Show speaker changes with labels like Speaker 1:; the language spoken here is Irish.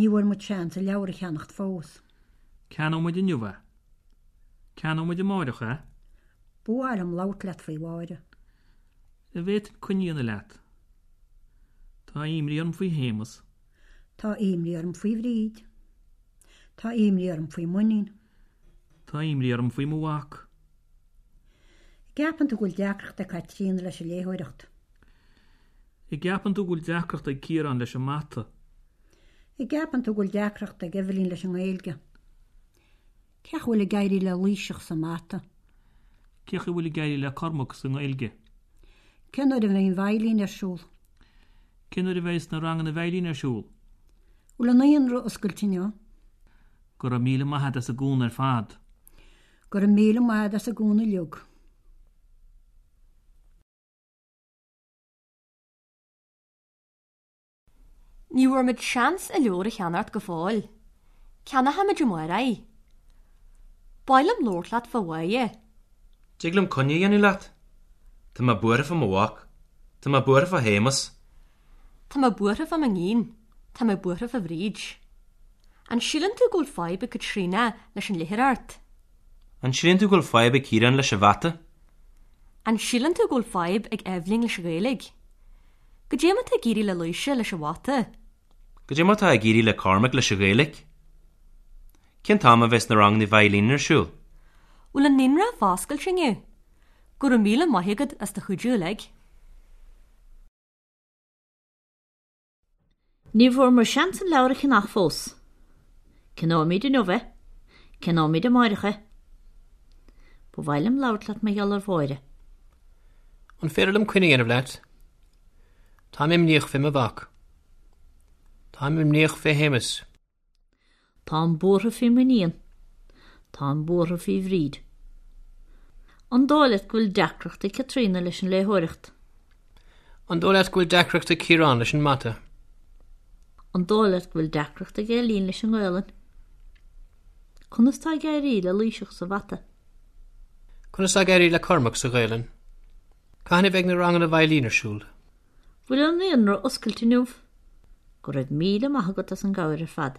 Speaker 1: Ní bhfuair muid seans an leabhar a cheannacht fós.
Speaker 2: Ceannóidh muid inniu é. Ceannóidh muid amáireach é.
Speaker 1: Ba mhaith liom labhairt leat faoi Mháire.
Speaker 2: An bhféadfainn coinne a dhéanamh leat? Tá imní orm faoi Shéamus.
Speaker 1: Tá imní orm faoi Bhríd. Tá imní orm faoi m'iníon.
Speaker 2: Tá imní orm faoi mo mhac.
Speaker 1: An gceapann tú go bhfuil deacracht ag Caitríona leis an léitheoireacht?
Speaker 2: An gceapann tú go bhfuil deacracht ag Ciarán leis an mata?
Speaker 1: An gceapann tú go bhfuil deacracht ag Eibhlín leis an nGaeilge? Cén chaoi a bhfuil ag éirí le Laoiseach sa mata?
Speaker 2: Cén chaoi a bhfuil ag éirí le Cormac sa nGaeilge?
Speaker 1: Cén uair a bheidh an veidhlín ar siúl?
Speaker 2: Cén uair a bheidh na ranganna veidhlín ar siúl?
Speaker 1: Bhfuil an naíonra oscailte inniu?
Speaker 2: Go raibh míle maith agat as an gcúnamh ar fad.
Speaker 1: Go raibh míle maith agat as an gcúnamh uilig.
Speaker 3: Ní bhfuair muid seans an leabhar a cheannacht go fóill. Ceannóimid amárach é. Ba mhaith liom labhairt leat fá Mháire.
Speaker 4: Dtig liom coinne a dhéanamh leat? Tá mé buartha fá mo mhac. Tá mé buartha fá Shéamus.
Speaker 3: Tá mé buartha fá m'iníon. Tá mé buartha fá Bhríd. An síleann tú go bhfuil fadhb ag Caitríona leis an léitheoireacht?
Speaker 4: An síleann tú go bhfuil fadhb ag Ciarán leis an mhata?
Speaker 3: An síleann tú go bhfuil fadhb ag Eibhlín leis an Ghaeilge? Cad é mar atá ag éirí le Laoise leis an mhata?
Speaker 4: Cad é mar atá ag éirí le Cormac leis an Ghaeilge? Cén t-am a bheas na ranganna veidhlín ar siúl?
Speaker 3: Bhfuil an naíonra foscailte inniu? Go raibh míle maith agat as do chuidiú uilig.
Speaker 5: Ní bhfuair muid seans an leabhar a cheannach fós. Ceannóimid inniu é. Ceannóimid amáireach é. Ba mhaith liom labhairt leat mar gheall ar Mháire.
Speaker 6: An féidir liom coinne a dhéanamh leat? Táim imníoch fé mo mhac. Táim imníoch fé Shéamus.
Speaker 5: Táim buartha faoi m'iníon. Táim buartha faoi Bhríd. An dóigh leat go bhfuil deacracht ag Caitríona leis an léitheoireacht?
Speaker 6: An dóigh leat go bhfuil deacracht ag Ciarán leis an mata?
Speaker 5: An dóigh leat go bhfuil deacracht ag Eibhlín leis an nGaelainn? Conas tá ag éirí le Laoiseach sa mhata?
Speaker 6: Conas tá ag éirí le Cormac sa Ghaelainn? Cathain a bheidh na ranganna veidhlín ar siúl?
Speaker 5: Bhfuil an naíonra oscailte inniu? Go raibh míle maith agat as an gcabhair ar fad.